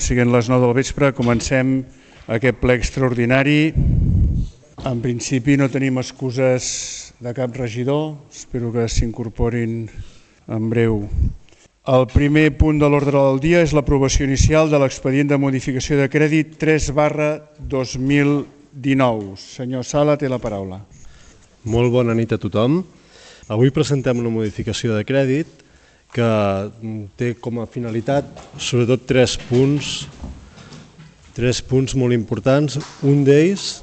siguent les 9 del vespre, comencem aquest ple extraordinari. En principi no tenim excuses de cap regidor, espero que s'incorporin en breu. El primer punt de l'ordre del dia és l'aprovació inicial de l'expedient de modificació de crèdit 3/2019. Senyor Sala, té la paraula. Molt bona nit a tothom. Avui presentem una modificació de crèdit que té com a finalitat sobretot tres punts molt importants. Un d'ells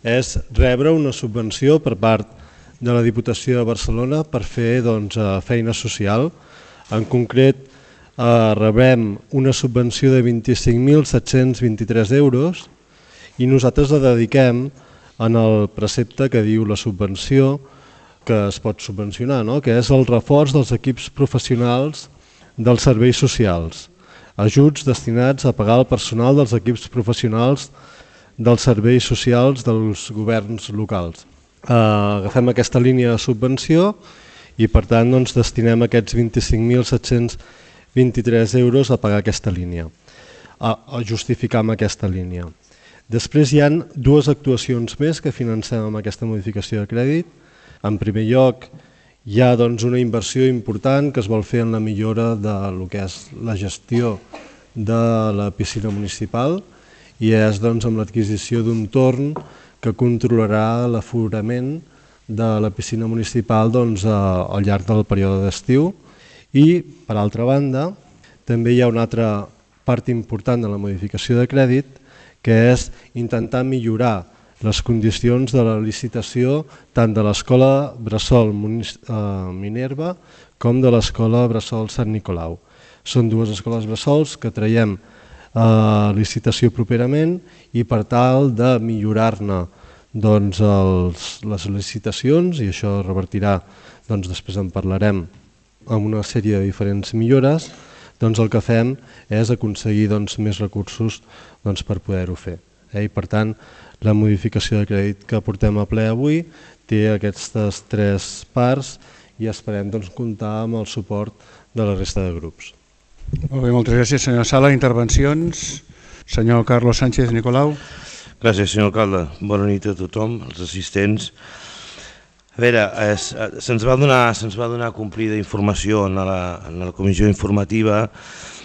és rebre una subvenció per part de la Diputació de Barcelona per fer feina social. En concret, rebem una subvenció de 25.723 euros i nosaltres la dediquem en el precepte que diu la subvenció que es pot subvencionar, que és el reforç dels equips professionals dels serveis socials, ajuts destinats a pagar el personal dels equips professionals dels serveis socials dels governs locals. Agafem aquesta línia de subvenció i per tant destinem aquests 25.723 euros a pagar aquesta línia, a justificar amb aquesta línia. Després hi ha dues actuacions més que financem amb aquesta modificació de crèdit. En primer lloc, hi ha una inversió important que es vol fer en la millora del que és la gestió de la piscina municipal i és amb l'adquisició d'un torn que controlarà l'aforament de la piscina municipal al llarg del període d'estiu. I, per altra banda, també hi ha una altra part important de la modificació de crèdit que és intentar millorar les condicions de la licitació tant de l'Escola Bressol Minerva com de l'Escola Bressol Sant Nicolau. Són dues escoles bressols que traiem a licitació properament i per tal de millorar-ne les licitacions, i això revertirà, després en parlarem, amb una sèrie de diferents millores, el que fem és aconseguir més recursos per poder-ho fer. I per tant, la modificació de crèdit que portem a ple avui té aquestes tres parts i esperem comptar amb el suport de la resta de grups. Molt bé, moltes gràcies, senyor Sala. Intervencions? Senyor Carlos Sánchez Nicolau. Gràcies, senyor alcalde. Bona nit a tothom, als assistents. A veure, se'ns va donar complida informació en la comissió informativa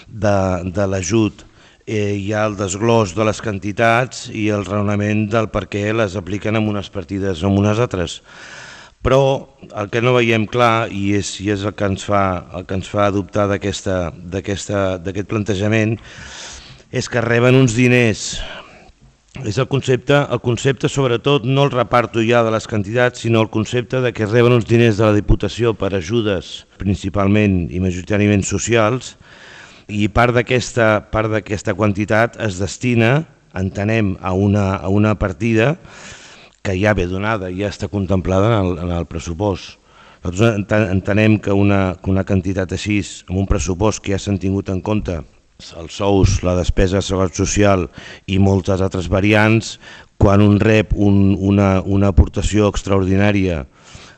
de l'ajut. Hi ha el desglòs de les quantitats i el raonament del per què les apliquen en unes partides o en unes altres. Però el que no veiem clar, i és el que ens fa adoptar d'aquest plantejament, és que reben uns diners. És el concepte sobretot, no el reparto ja de les quantitats, sinó el concepte de que reben uns diners de la Diputació per ajudes principalment i majoritàriament socials, i part d'aquesta quantitat es destina, entenem, a una partida que ja ve donada, ja està contemplada en el pressupost. Nosaltres entenem que una quantitat així, amb un pressupost que ja s'han tingut en compte els sous, la despesa de seguretat social i moltes altres variants, quan un rep una aportació extraordinària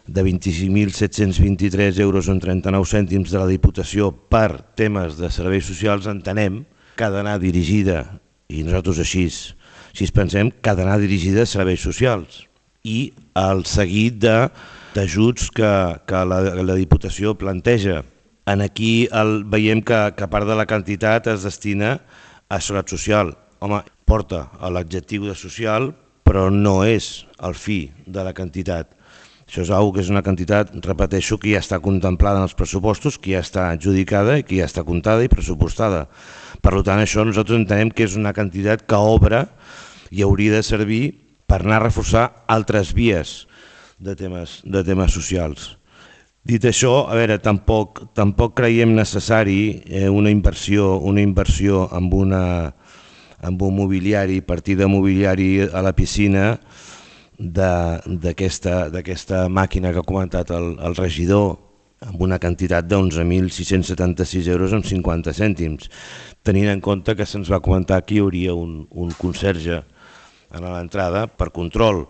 de 25.723 euros en 39 cèntims de la Diputació per temes de serveis socials, entenem que ha d'anar dirigida, i nosaltres així pensem, que ha d'anar dirigida a serveis socials i al seguit d'ajuts que la Diputació planteja. Aquí veiem que part de la quantitat es destina a seguretat social. Home, porta l'adjectiu de social, però no és el fi de la quantitat. Això és una quantitat, repeteixo, que ja està contemplada en els pressupostos, que ja està adjudicada i que ja està comptada i pressupostada. Per tant, això nosaltres entenem que és una quantitat que obre i hauria de servir per anar a reforçar altres vies de temes socials. Dit això, a veure, tampoc creiem necessari una inversió amb un mobiliari, partida mobiliari a la piscina d'aquesta màquina que ha comentat el regidor, amb una quantitat d'11.676 euros amb 50 cèntims, tenint en compte que se'ns va comentar que hi hauria un conserge a l'entrada per control.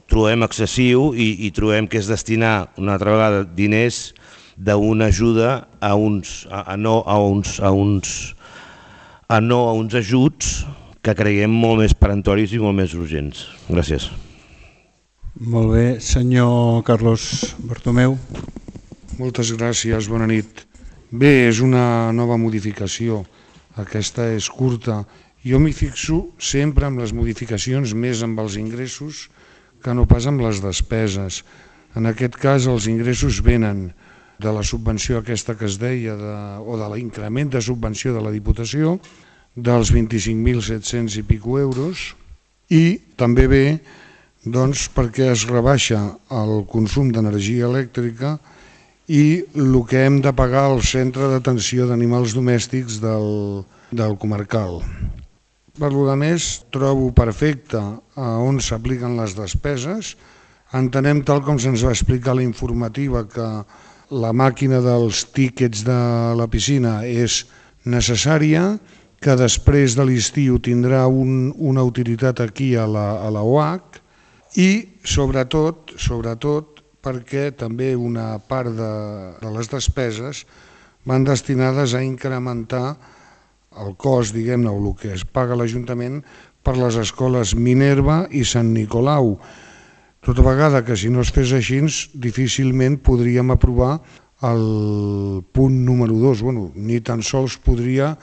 Trobem excessiu i trobem que és destinar una altra vegada diners d'una ajuda a uns a no a uns ajuts que creiem molt més perentoris i molt més urgents. Gràcies. Molt bé, senyor Carlos Bartomeu. Moltes gràcies, bona nit. Bé, és una nova modificació, aquesta és curta. Jo m'hi fixo sempre amb les modificacions més amb els ingressos que no pas amb les despeses. En aquest cas els ingressos venen de la subvenció aquesta que es deia o de l'increment de subvenció de la Diputació dels 25.700 i pico euros i també ve doncs, perquè es rebaixa el consum d'energia elèctrica i el que hem de pagar al centre d'atenció d'animals domèstics del comarcal. Per lo més, trobo perfecte on s'apliquen les despeses. Entenem, tal com se'ns va explicar la informativa, que la màquina dels tíquets de la piscina és necessària, que després de l'estiu tindrà una utilitat aquí a la OAC i, sobretot, perquè també una part de les despeses van destinades a incrementar el cost, diguem-ne, o el que es paga l'Ajuntament per les escoles Minerva i Sant Nicolau. Tota vegada que si no es fes així, difícilment podríem aprovar el punt número 2. Bueno, ni tan sols podria,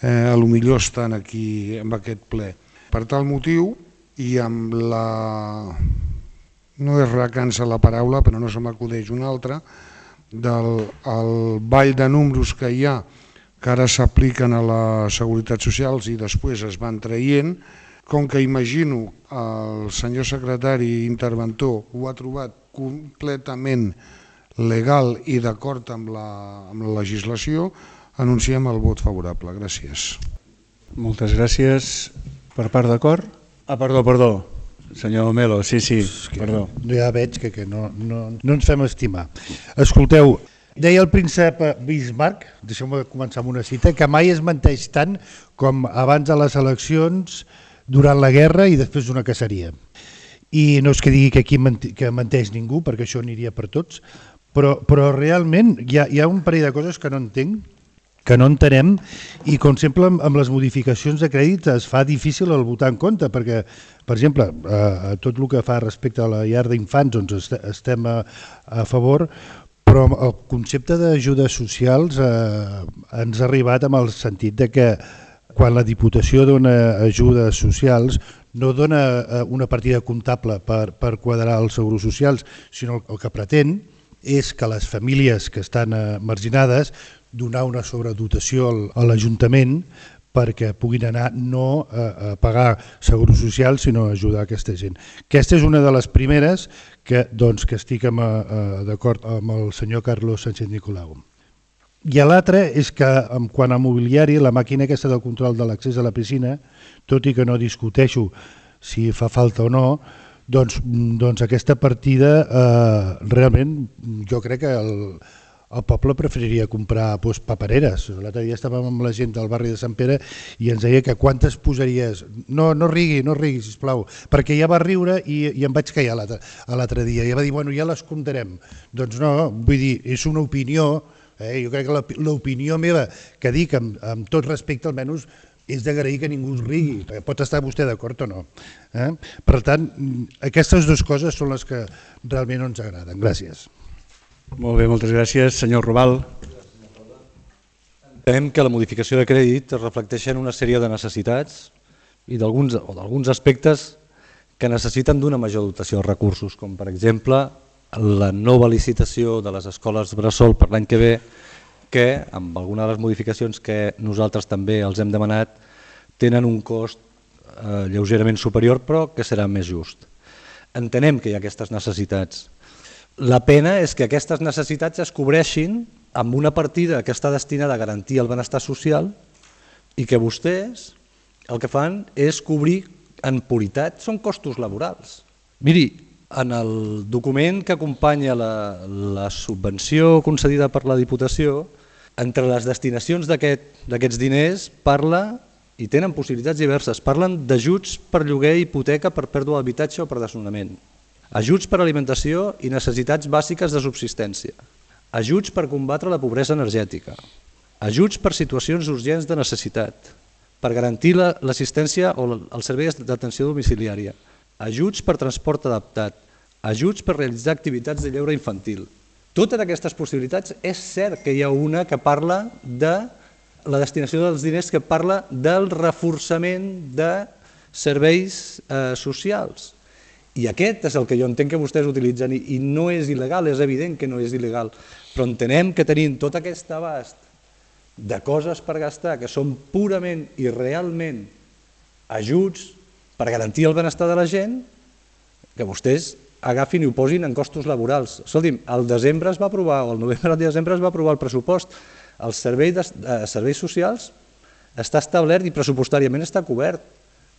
potser estar aquí en aquest ple. Per tal motiu, i amb la... no és recança la paraula, però no se m'acudeix una altra, del ball de números que hi ha, que ara s'apliquen a la Seguretat Social i després es van traient, com que imagino el senyor secretari interventor ho ha trobat completament legal i d'acord amb la legislació, anunciem el vot favorable. Gràcies. Moltes gràcies. Per part d'acord? Perdó. Senyor Melo, sí, perdó. Ja veig que no ens fem estimar. Escolteu, deia el príncep Bismarck, deixeu-me començar amb una cita, que mai es menteix tant com abans de les eleccions, durant la guerra i després d'una caceria. I no és que digui que aquí menteix ningú, perquè això aniria per tots, però realment hi ha un parell de coses que no entenc, que no entenem, i com sempre amb les modificacions de crèdit es fa difícil el votar en compte, perquè, per exemple, tot el que fa respecte a la llar d'infants doncs estem a favor, però el concepte d'ajudes socials ens ha arribat amb el sentit de que quan la Diputació dona ajudes socials no dona una partida comptable per quadrar els seguros socials, sinó el que pretén és que les famílies que estan marginades donar una sobredotació a l'Ajuntament perquè puguin anar no a pagar seguros socials sinó a ajudar aquesta gent. Aquesta és una de les primeres que estic d'acord amb el senyor Carlos Sánchez Nicolau. I l'altre és que, quant a mobiliari, la màquina aquesta del control de l'accés a la piscina, tot i que no discuteixo si fa falta o no, doncs aquesta partida realment jo crec que el poble preferiria comprar papereres. L'altre dia estàvem amb la gent del barri de Sant Pere i ens deia que quantes posaries... No rigui, sisplau, perquè ja va riure i em vaig callar l'altre dia. I va dir, bueno, ja les comptarem. Doncs no, vull dir, és una opinió. Jo crec que l'opinió meva, que dic amb tot respecte almenys, és d'agrair que ningú es rigui. Pot estar vostè d'acord o no. Per tant, aquestes dues coses són les que realment no ens agraden. Gràcies. Molt bé, moltes gràcies. Senyor Robal. Entenem que la modificació de crèdit es reflecteix en una sèrie de necessitats i d'alguns aspectes que necessiten d'una major dotació de recursos, com per exemple la nova licitació de les escoles bressol per l'any que ve, que amb alguna de les modificacions que nosaltres també els hem demanat tenen un cost lleugerament superior però que serà més just. Entenem que hi ha aquestes necessitats. La pena és que aquestes necessitats es cobreixin amb una partida que està destinada a garantir el benestar social i que vostès el que fan és cobrir en puritat, són costos laborals. Miri, en el document que acompanya la subvenció concedida per la Diputació, entre les destinacions d'aquests diners parla, i tenen possibilitats diverses, parlen d'ajuts per lloguer i hipoteca per pèrdua d'habitatge o per desnonament, ajuts per alimentació i necessitats bàsiques de subsistència, ajuts per combatre la pobresa energètica, ajuts per situacions urgents de necessitat, per garantir l'assistència o els serveis d'atenció domiciliària, ajuts per transport adaptat, ajuts per realitzar activitats de lleure infantil. Totes aquestes possibilitats, és cert que hi ha una que parla de la destinació dels diners, que parla del reforçament de serveis socials. I aquest és el que jo entenc que vostès utilitzen i no és il·legal, és evident que no és il·legal, però entenem que tenim tot aquest abast de coses per gastar que són purament i realment ajuts per garantir el benestar de la gent, que vostès agafin i ho posin en costos laborals. Escolti'm, al desembre es va aprovar, o al novembre o desembre es va aprovar el pressupost. El servei de serveis socials està establert i pressupostàriament està cobert.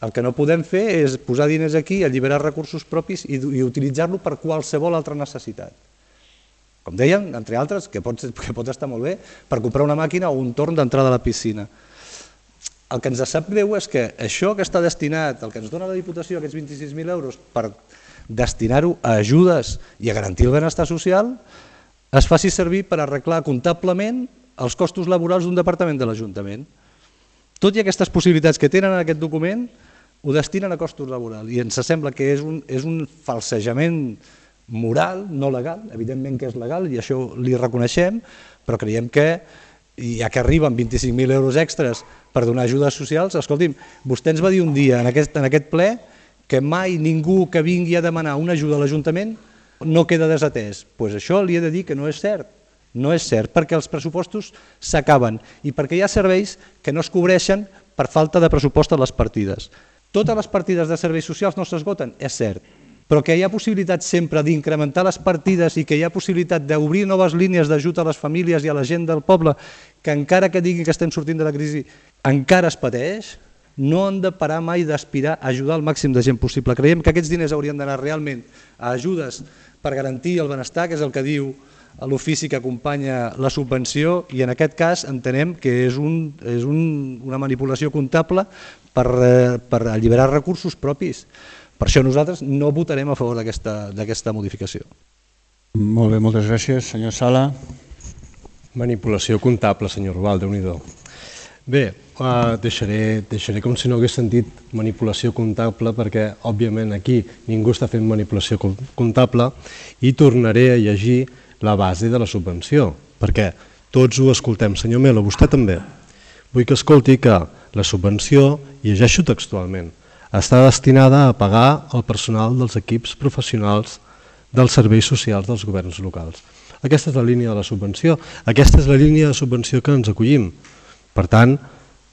El que no podem fer és posar diners aquí, alliberar recursos propis i utilitzar-lo per qualsevol altra necessitat. Com dèiem, entre altres, que pot estar molt bé, per comprar una màquina o un torn d'entrada a la piscina. El que ens sap greu és que això que està destinat, el que ens dona la Diputació, aquests 26.000 euros, per destinar-ho a ajudes i a garantir el benestar social, es faci servir per arreglar comptablement els costos laborals d'un departament de l'Ajuntament. Tot i aquestes possibilitats que tenen en aquest document, ho destinen a costos laborals i ens sembla que és un falsejament moral, no legal, evidentment que és legal i això li reconeixem, però creiem que, ja que arriben 25.000 euros extres per donar ajudes socials, escolti'm, vostè ens va dir un dia en aquest ple que mai ningú que vingui a demanar una ajuda a l'Ajuntament no queda desatès. Doncs això li he de dir que no és cert. No és cert, perquè els pressupostos s'acaben i perquè hi ha serveis que no es cobreixen per falta de pressupost a les partides. Totes les partides de serveis socials no s'esgoten, és cert, però que hi ha possibilitat sempre d'incrementar les partides i que hi ha possibilitat d'obrir noves línies d'ajut a les famílies i a la gent del poble, que encara que digui que estem sortint de la crisi, encara es pateix, no han de parar mai d'aspirar a ajudar el màxim de gent possible. Creiem que aquests diners haurien d'anar realment a ajudes per garantir el benestar, que és el que diu l'ofici que acompanya la subvenció, i en aquest cas entenem que és una manipulació comptable per alliberar recursos propis. Per això nosaltres no votarem a favor d'aquesta modificació. Molt bé, moltes gràcies. Senyor Sala. Manipulació comptable, senyor Rubal, Déu-n'hi-do. Bé, deixaré com si no hagués sentit manipulació comptable perquè, òbviament, aquí ningú està fent manipulació comptable i tornaré a llegir la base de la subvenció, perquè tots ho escoltem. Senyor Melo, vostè també. Vull que escolti que la subvenció, i llegeixo textualment, està destinada a pagar el personal dels equips professionals dels serveis socials dels governs locals. Aquesta és la línia de la subvenció, aquesta és la línia de subvenció que ens acollim. Per tant,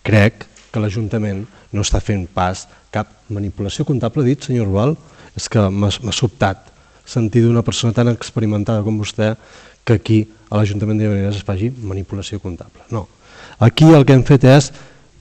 crec que l'Ajuntament no està fent pas cap manipulació comptable, dit, senyor Rubal. És que m'ha sobtat sentir d'una persona tan experimentada com vostè que aquí a l'Ajuntament de Llavaneres es faci manipulació comptable. No. Aquí el que hem fet és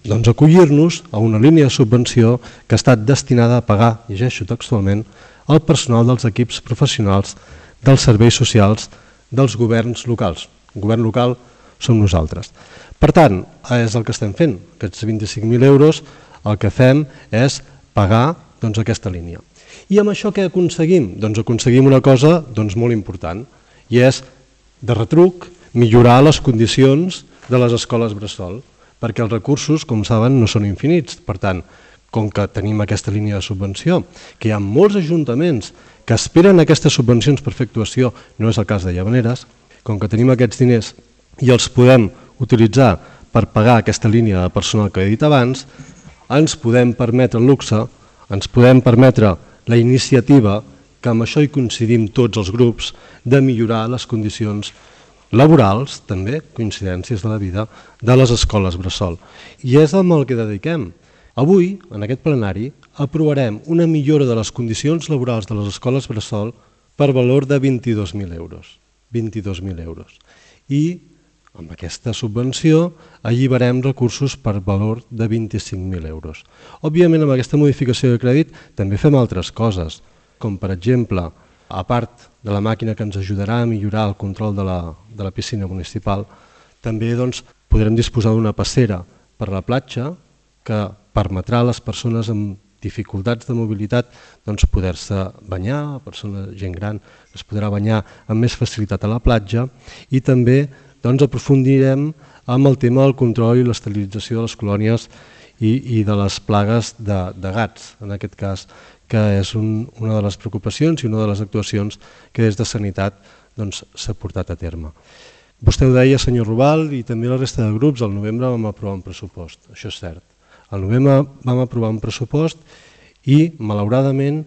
acollir-nos a una línia de subvenció que ha estat destinada a pagar, llegeixo textualment, el personal dels equips professionals dels serveis socials dels governs locals. El govern local som nosaltres. Per tant, és el que estem fent. Aquests 25.000 euros el que fem és pagar aquesta línia. I amb això què aconseguim? Doncs aconseguim una cosa molt important, i és, de retruc, millorar les condicions de les escoles bressol, perquè els recursos, com saben, no són infinits. Per tant, com que tenim aquesta línia de subvenció, que hi ha molts ajuntaments que esperen aquestes subvencions per fer actuació, no és el cas de Llavaneres, com que tenim aquests diners i els podem utilitzar per pagar aquesta línia de personal que he dit abans, ens podem permetre el luxe, ens podem permetre la iniciativa, que amb això hi coincidim tots els grups, de millorar les condicions laborals, també, coincidències de la vida, de les escoles bressol. I és amb el que dediquem. Avui, en aquest plenari, aprovarem una millora de les condicions laborals de les escoles bressol per valor de 22.000 euros. 22.000 euros. I amb aquesta subvenció alliberem recursos per valor de 25.000 euros. Òbviament, amb aquesta modificació de crèdit també fem altres coses, com per exemple, a part de la màquina que ens ajudarà a millorar el control de la piscina municipal, també podrem disposar d'una passera per la platja que permetrà a les persones amb dificultats de mobilitat poder-se banyar, gent gran es podrà banyar amb més facilitat a la platja, i també aprofundirem amb el tema del control i l'esterilització de les colònies i de les plagues de gats, en aquest cas, que és una de les preocupacions i una de les actuacions que des de Sanitat s'ha portat a terme. Vostè ho deia, senyor Rubal, i també la resta de grups, al novembre vam aprovar un pressupost, això és cert. Al novembre vam aprovar un pressupost i, malauradament,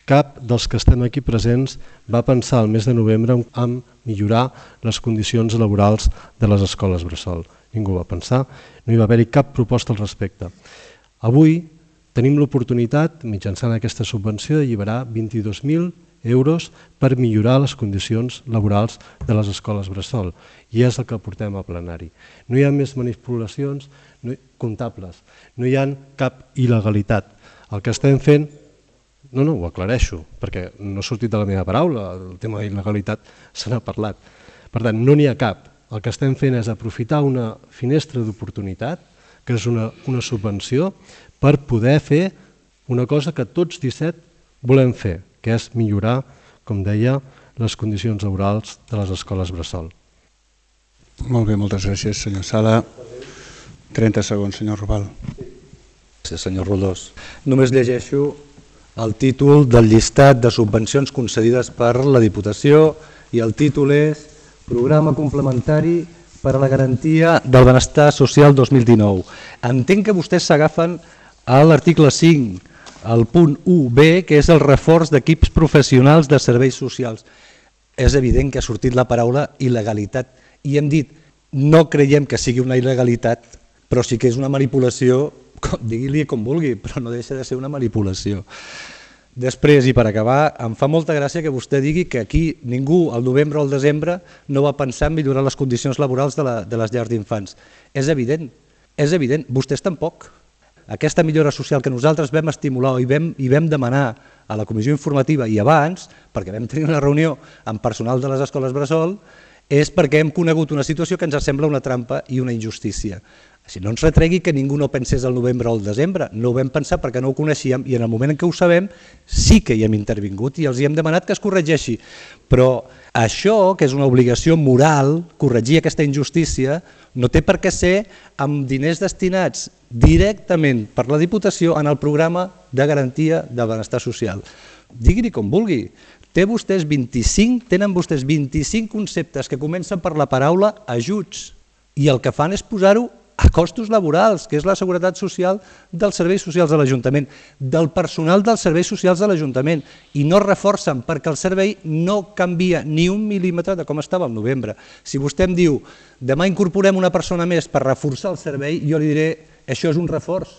cap dels que estem aquí presents va pensar al mes de novembre en millorar les condicions laborals de les escoles bressol. Ningú va pensar, no hi va haver-hi cap proposta al respecte. Avui tenim l'oportunitat, mitjançant aquesta subvenció, d'alliberar 22.000 euros per millorar les condicions laborals de les escoles bressol, i és el que portem a plenari. No hi ha més manipulacions comptables, no hi ha cap il·legalitat. El que estem fent, no, ho aclareixo, perquè no ha sortit de la meva paraula, el tema d'il·legalitat se n'ha parlat. Per tant, no n'hi ha cap. El que estem fent és aprofitar una finestra d'oportunitat, que és una subvenció, per poder fer una cosa que tots 17 volem fer, que és millorar, com deia, les condicions laborals de les escoles bressol. Molt bé, moltes gràcies, senyor Sala. 30 segons, senyor Rubal. Gràcies, senyor Roldós. Només llegeixo el títol del llistat de subvencions concedides per la Diputació i el títol és Programa complementari per a la garantia del benestar social 2019. Entenc que vostès s'agafen a l'article 5, al punt 1b, que és el reforç d'equips professionals de serveis socials. És evident que ha sortit la paraula il·legalitat i hem dit no creiem que sigui una il·legalitat, però sí que és una manipulació, digui-li com vulgui, però no deixa de ser una manipulació. Després, i per acabar, em fa molta gràcia que vostè digui que aquí ningú al novembre o al desembre no va pensar en millorar les condicions laborals de les llars d'infants. És evident, vostès tampoc. Aquesta millora social que nosaltres vam estimular i vam demanar a la comissió informativa i abans, perquè vam tenir una reunió amb personal de les escoles bressol, és perquè hem conegut una situació que ens sembla una trampa i una injustícia. Si no ens retregui que ningú no pensés al novembre o al desembre, no ho vam pensar perquè no ho coneixíem i en el moment en què ho sabem sí que hi hem intervingut i els hi hem demanat que es corregeixi. Però això, que és una obligació moral, corregir aquesta injustícia, no té per què ser amb diners destinats directament per la Diputació en el programa de garantia del benestar social. Digui-li com vulgui. Tenen vostès 25 conceptes que comencen per la paraula ajuts i el que fan és posar-ho a costos laborals, que és la seguretat social dels serveis socials de l'Ajuntament, del personal dels serveis socials de l'Ajuntament, i no reforcen perquè el servei no canvia ni un mil·límetre de com estava al novembre. Si vostè em diu demà incorporem una persona més per reforçar el servei, jo li diré això és un reforç,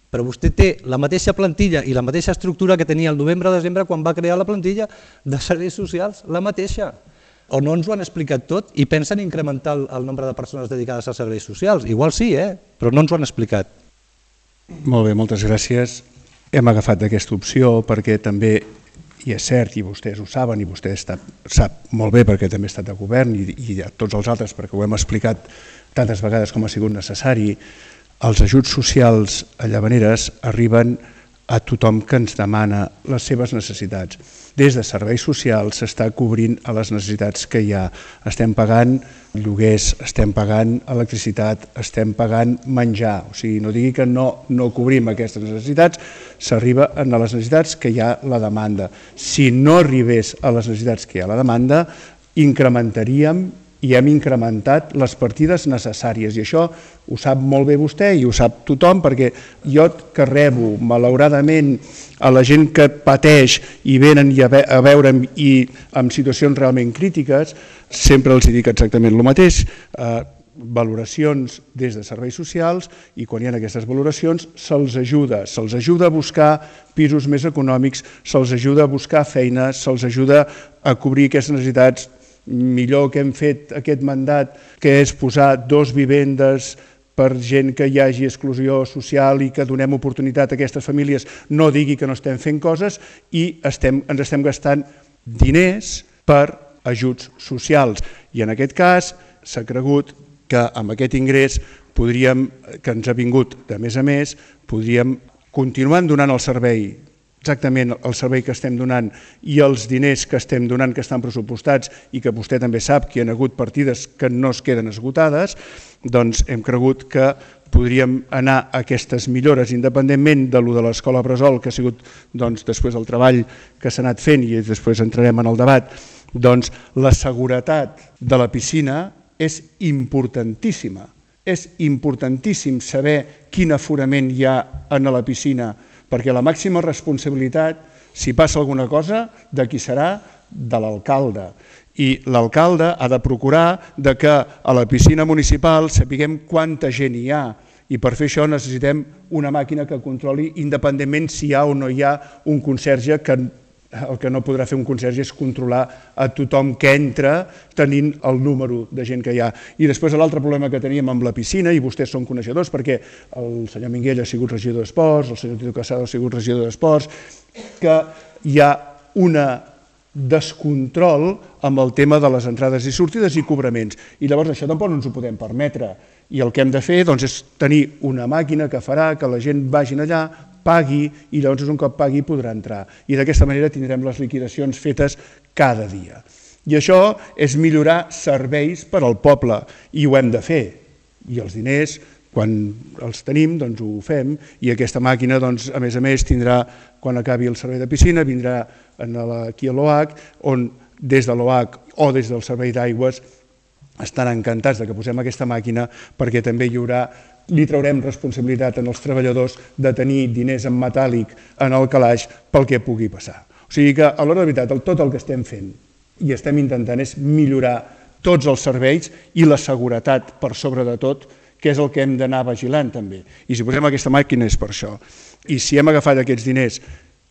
però vostè té la mateixa plantilla i la mateixa estructura que tenia el novembre-desembre quan va crear la plantilla de serveis socials, la mateixa. O no ens ho han explicat tot i pensen incrementar el nombre de persones dedicades als serveis socials. Igual sí, però no ens ho han explicat. Molt bé, moltes gràcies. Hem agafat aquesta opció perquè també, i és cert, i vostès ho saben, i vostè sap molt bé perquè també ha estat de govern i tots els altres perquè ho hem explicat tantes vegades com ha sigut necessari, els ajuts socials a Llavaneres arriben a tothom que ens demana les seves necessitats. Des de serveis socials s'està cobrint a les necessitats que hi ha. Estem pagant lloguers, estem pagant electricitat, estem pagant menjar. O sigui, no digui que no cobrim aquestes necessitats, s'arriba a les necessitats que hi ha la demanda. Si no arribés a les necessitats que hi ha la demanda, incrementaríem i hem incrementat les partides necessàries i això ho sap molt bé vostè i ho sap tothom perquè jo que rebo malauradament a la gent que pateix i venen a veure'm i en situacions realment crítiques sempre els dic exactament el mateix, valoracions des de serveis socials i quan hi ha aquestes valoracions se'ls ajuda a buscar pisos més econòmics, se'ls ajuda a buscar feina, se'ls ajuda a cobrir aquestes necessitats. Millor que hem fet aquest mandat, que és posar 2 vivendes per gent que hi hagi exclusió social i que donem oportunitat a aquestes famílies, no digui que no estem fent coses i ens estem gastant diners per ajuts socials. I en aquest cas s'ha cregut que amb aquest ingrés que ens ha vingut de més a més, podríem continuar donant el servei exactament el servei que estem donant i els diners que estem donant que estan pressupostats i que vostè també sap que hi ha hagut partides que no es queden esgotades, doncs hem cregut que podríem anar a aquestes millores independentment de lo de l'escola Bressol, que ha sigut després del treball que s'ha anat fent i després entrarem en el debat. Doncs la seguretat de la piscina és importantíssima. És importantíssim saber quin aforament hi ha a la piscina, perquè la màxima responsabilitat, si passa alguna cosa, de qui serà? De l'alcalde. I l'alcalde ha de procurar que a la piscina municipal sapiguem quanta gent hi ha, i per fer això necessitem una màquina que controli independentment si hi ha o no hi ha un conserge, que el que no podrà fer un conserge és controlar a tothom que entra tenint el número de gent que hi ha. I després l'altre problema que teníem amb la piscina, i vostès són coneixedors perquè el senyor Minguell ha sigut regidor d'Esports, el senyor Tito Casado ha sigut regidor d'Esports, que hi ha una descontrol amb el tema de les entrades i sortides i cobraments. I llavors això tampoc no ens ho podem permetre. I el que hem de fer és tenir una màquina que farà que la gent vagi allà, pagui, i llavors un cop pagui podrà entrar. I d'aquesta manera tindrem les liquidacions fetes cada dia. I això és millorar serveis per al poble, i ho hem de fer. I els diners, quan els tenim, doncs ho fem, i aquesta màquina, doncs, a més, tindrà, quan acabi el servei de piscina, vindrà aquí a l'OH, on des de l'OH o des del servei d'aigües estan encantats que posem aquesta màquina, perquè també li traurem responsabilitat als treballadors de tenir diners en metàl·lic en el calaix pel que pugui passar. O sigui que, a l'hora de veritat, tot el que estem fent i estem intentant és millorar tots els serveis i la seguretat per sobre de tot, que és el que hem d'anar vigilant també. I si posem aquesta màquina és per això. I si hem agafat aquests diners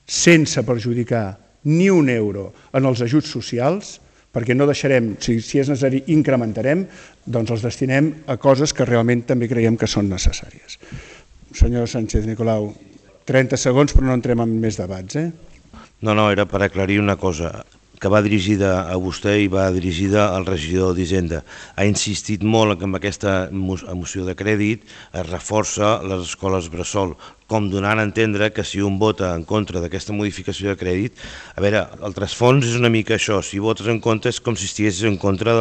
sense perjudicar ni un euro en els ajuts socials, perquè no deixarem, si és necessari incrementarem, doncs els destinem a coses que realment també creiem que són necessàries. Senyor Sánchez Nicolau, 30 segons però no entrem en més debats. No, era per aclarir una cosa, que va dirigida a vostè i va dirigida al regidor d'Hisenda. Ha insistit molt que amb aquesta moció de crèdit es reforça les escoles bressol, com donant a entendre que si un vota en contra d'aquesta modificació de crèdit, a veure, el trasfons és una mica això, si votes en contra és com si estiguessis en contra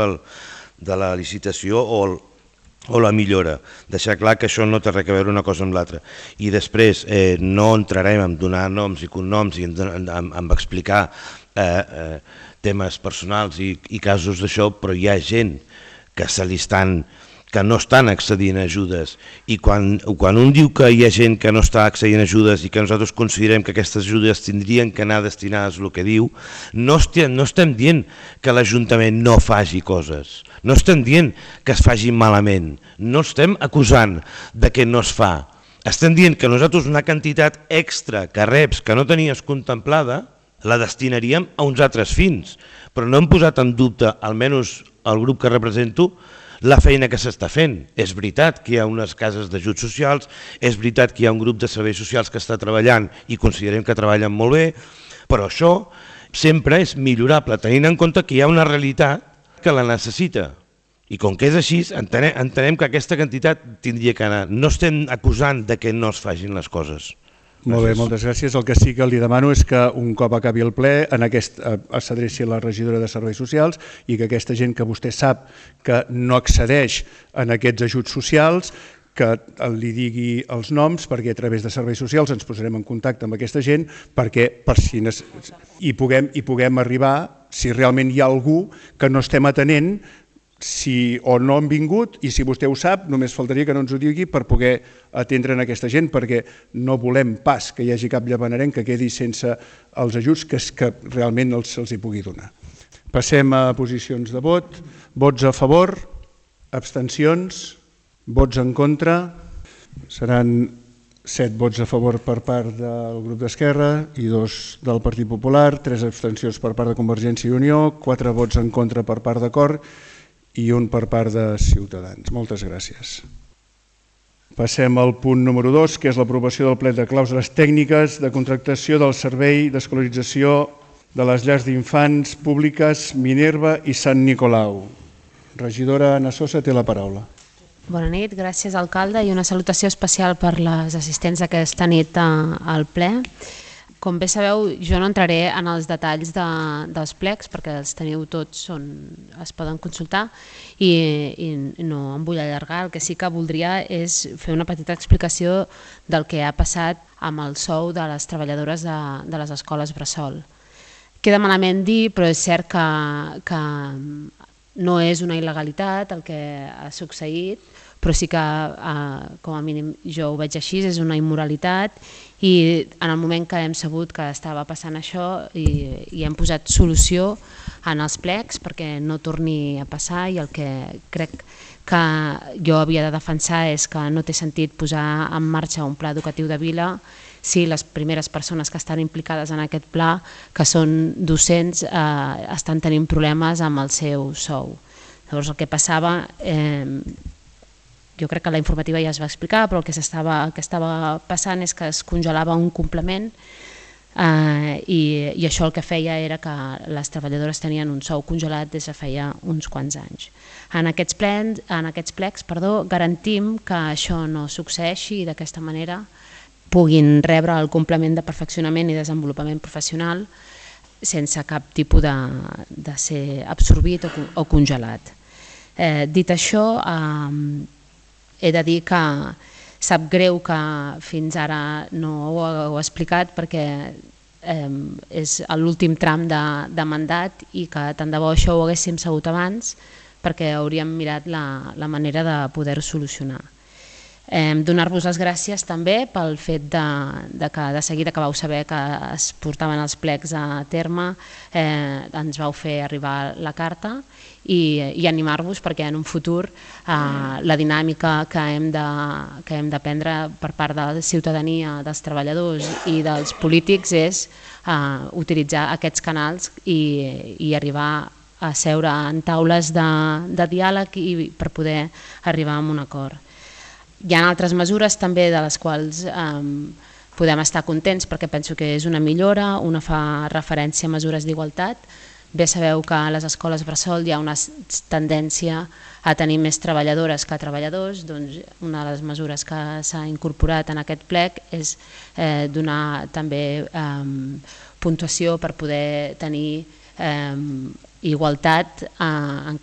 de la licitació o la millora. Deixar clar que això no té res a veure una cosa amb l'altra. I després no entrarem en donar noms i cognoms i en explicar temes personals i casos d'això, però hi ha gent que no estan accedint a ajudes, i quan un diu que hi ha gent que no està accedint a ajudes i que nosaltres considerem que aquestes ajudes tindrien que anar destinades al que diu, no estem dient que l'Ajuntament no faci coses, no estem dient que es faci malament, no estem acusant de que no es fa, estem dient que nosaltres una quantitat extra que reps que no tenies contemplada la destinaríem a uns altres fins, però no hem posat en dubte, almenys el grup que represento, la feina que s'està fent. És veritat que hi ha unes cases d'ajuts socials, és veritat que hi ha un grup de serveis socials que està treballant i considerem que treballen molt bé, però això sempre és millorable, tenint en compte que hi ha una realitat que la necessita. I com que és així, entenem que aquesta quantitat tindria que anar. No estem acusant de que no es facin les coses. Molt bé, moltes gràcies. El que sí que li demano és que un cop acabi el ple s'adreci a la regidora de Serveis Socials i que aquesta gent que vostè sap que no accedeix en aquests ajuts socials, que li digui els noms, perquè a través de Serveis Socials ens posarem en contacte amb aquesta gent i puguem arribar, si realment hi ha algú que no estem atenent, si o no han vingut, i si vostè ho sap, només faltaria que no ens ho digui per poder atendre en aquesta gent, perquè no volem pas que hi hagi cap llavanerenc que quedi sense els ajuts que realment se'ls hi pugui donar. Passem a posicions de vot. Vots a favor, abstencions, vots en contra. Seran 7 vots a favor per part del grup d'Esquerra i 2 del Partit Popular, 3 abstencions per part de Convergència i Unió, 4 vots en contra per part d'Acord i un per part de Ciutadans. Moltes gràcies. Passem al punt número 2, que és l'aprovació del plec de clàusules tècniques de contractació del servei d'escolarització de les llars d'infants públiques Minerva i Sant Nicolau. Regidora Anna Sosa té la paraula. Bona nit, gràcies alcalde i una salutació especial per les assistents d'aquesta nit al ple. Com bé sabeu, jo no entraré en els detalls dels plecs perquè els teniu tots, es poden consultar i no em vull allargar. El que sí que voldria és fer una petita explicació del que ha passat amb el sou de les treballadores de les escoles bressol. Queda malament dir, però és cert que no és una il·legalitat el que ha succeït, però sí que, com a mínim jo ho veig així, és una immoralitat i en el moment que hem sabut que estava passant això i hem posat solució en els plecs perquè no torni a passar, i el que crec que jo havia de defensar és que no té sentit posar en marxa un pla educatiu de vila si les primeres persones que estan implicades en aquest pla, que són docents, estan tenint problemes amb el seu sou. Llavors el que passava, jo crec que la informativa ja es va explicar, però el que estava passant és que es congelava un complement i això el que feia era que les treballadores tenien un sou congelat des de feia uns quants anys. En aquests plecs garantim que això no succeeixi i d'aquesta manera puguin rebre el complement de perfeccionament i desenvolupament professional sense cap tipus de ser absorbit o congelat. Dit això, he de dir que sap greu que fins ara no ho heu explicat perquè és l'últim tram de mandat i que tant de bo això ho haguéssim sabut abans perquè hauríem mirat la manera de poder-ho solucionar. Donar-vos les gràcies també pel fet que de seguida que vau saber que es portaven els plecs a terme ens vau fer arribar la carta i animar-vos perquè en un futur la dinàmica que hem de prendre per part de la ciutadania, dels treballadors i dels polítics és utilitzar aquests canals i arribar a seure en taules de diàleg i per poder arribar a un acord. Hi ha altres mesures també de les quals podem estar contents perquè penso que és una millora, una fa referència a mesures d'igualtat. Bé sabeu que a les escoles bressol hi ha una tendència a tenir més treballadores que treballadors, doncs una de les mesures que s'ha incorporat en aquest plec és donar també puntuació per poder tenir igualtat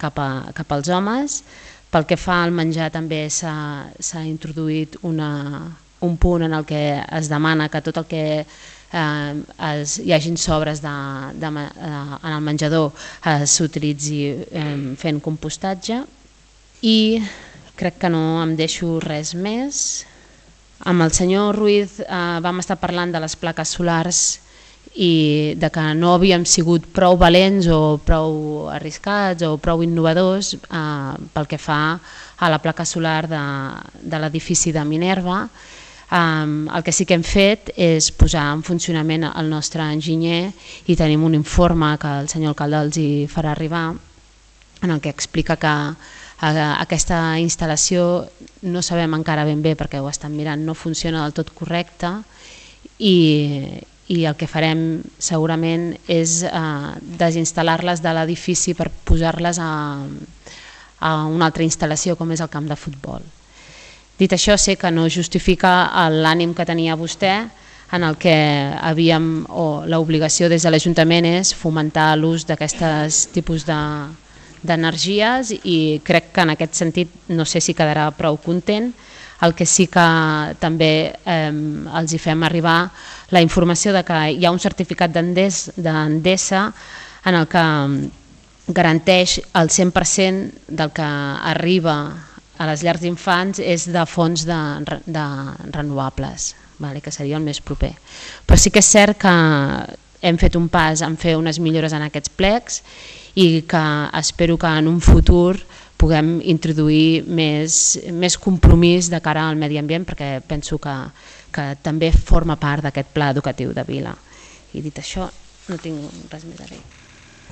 cap als homes. Pel que fa al menjar també s'ha introduït un punt en el que es demana que tot el que hi hagin sobres en el menjador s'utilitzi fent compostatge i crec que no em deixo res més. Amb el senyor Ruiz vam estar parlant de les plaques solars i de que no havíem sigut prou valents o prou arriscats o prou innovadors pel que fa a la placa solar de l'edifici de Minerva. El que sí que hem fet és posar en funcionament el nostre enginyer i tenim un informe que el senyor alcalde els hi farà arribar en el que explica que aquesta instal·lació no sabem encara ben bé perquè ho estan mirant, no funciona del tot correcte i el que farem segurament és desinstal·lar-les de l'edifici per posar-les a una altra instal·lació com és el camp de futbol. Dit això, sé que no justifica l'ànim que tenia vostè en el que l'obligació des de l'Ajuntament és fomentar l'ús d'aquestes tipus d'energies i crec que en aquest sentit no sé si quedarà prou content. El que sí que també els hi fem arribar la informació de que hi ha un certificat d'Endesa en el que garanteix el 100% del que arriba a les llars d'infants és de fonts renovables, que seria el més proper. Però sí que és cert que hem fet un pas en fer unes millores en aquests plecs i que espero que en un futur puguem introduir més compromís de cara al medi ambient perquè penso que també forma part d'aquest pla educatiu de Vila. I dit això, no tinc res més a dir.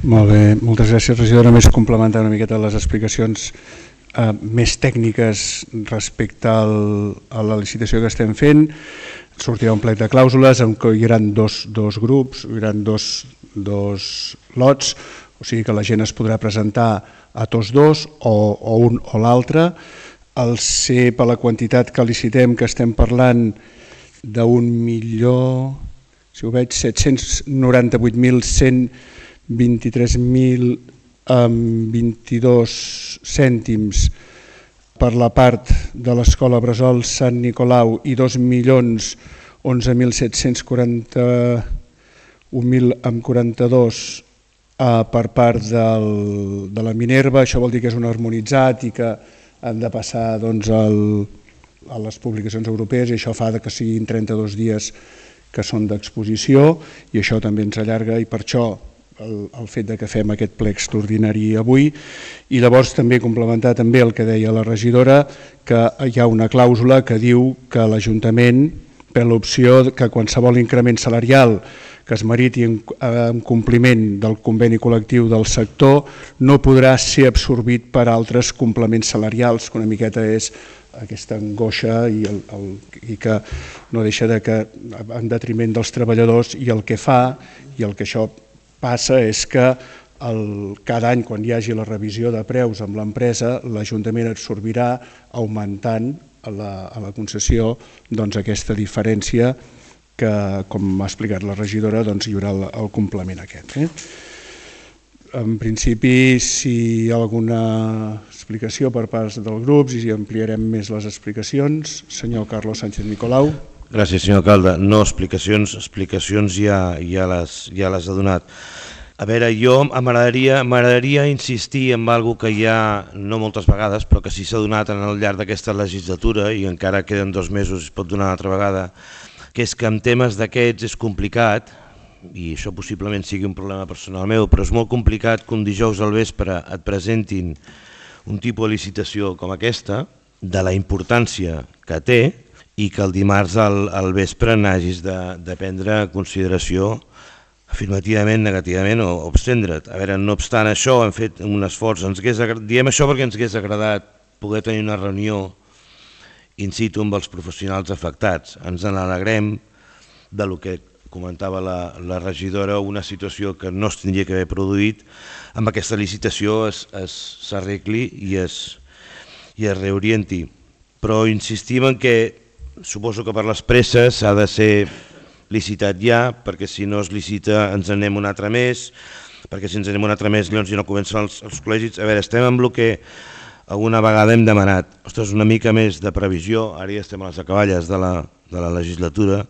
Molt bé, moltes gràcies, regidora. Només complementar una miqueta les explicacions més tècniques respecte a la licitació que estem fent. Sortirà un plec de clàusules en què hi haurà dos grups, hi haurà dos lots, o sigui que la gent es podrà presentar a tots dos o un o l'altre. El ser per la quantitat que licitem, que estem parlant d'1.000.000 si ho veig, 798.123.22 cèntims per la part de l'Escola Bressol Sant Nicolau i 2.011.741.042 per part de la Minerva. Això vol dir que és un harmonitzat i que han de passar a les publicacions europees, i això fa que siguin 32 dies que són d'exposició, i això també ens allarga, i per això el fet que fem aquest ple extraordinari avui. I llavors també complementar també el que deia la regidora, que hi ha una clàusula que diu que l'Ajuntament, per l'opció que qualsevol increment salarial que es meriti en compliment del conveni col·lectiu del sector no podrà ser absorbit per altres complements salarials, que una miqueta és aquesta angoixa i que no deixa de que en detriment dels treballadors, i el que fa i el que això passa és que cada any quan hi hagi la revisió de preus amb l'empresa, l'Ajuntament absorbirà augmentant a la concessió aquesta diferència que, com ha explicat la regidora, hi haurà el complement aquest. En principi, si hi ha alguna explicació per part dels grups, i ampliarem més les explicacions. Senyor Carlos Sánchez Nicolau. Gràcies, senyor alcalde. No, explicacions ja les ha donat. A veure, jo m'agradaria insistir en alguna cosa que hi ha, no moltes vegades, però que sí s'ha donat al llarg d'aquesta legislatura, i encara queden 2 mesos i es pot donar una altra vegada, que és que en temes d'aquests és complicat, i això possiblement sigui un problema personal meu, però és molt complicat que un dijous al vespre et presentin un tipus de licitació com aquesta, de la importància que té, i que el dimarts al vespre n'hagis de prendre en consideració afirmativament, negativament o abstendre't. A veure, no obstant això, hem fet un esforç. Diem això perquè ens hagués agradat poder tenir una reunió in situ amb els professionals afectats. Ens n'alegrem del que comentava la regidora, una situació que no es tindria que haver produït, amb aquesta licitació s'arregli i es reorienti. Però insistim en que suposo que per les presses s'ha de ser licitat ja, perquè si no es licita ens anem un altre mes, perquè si ens anem un altre mes llavors ja no comencen els col·legis. A veure, estem amb el que alguna vegada hem demanat. Ostres, una mica més de previsió, ara ja estem a les acaballes de la legislatura,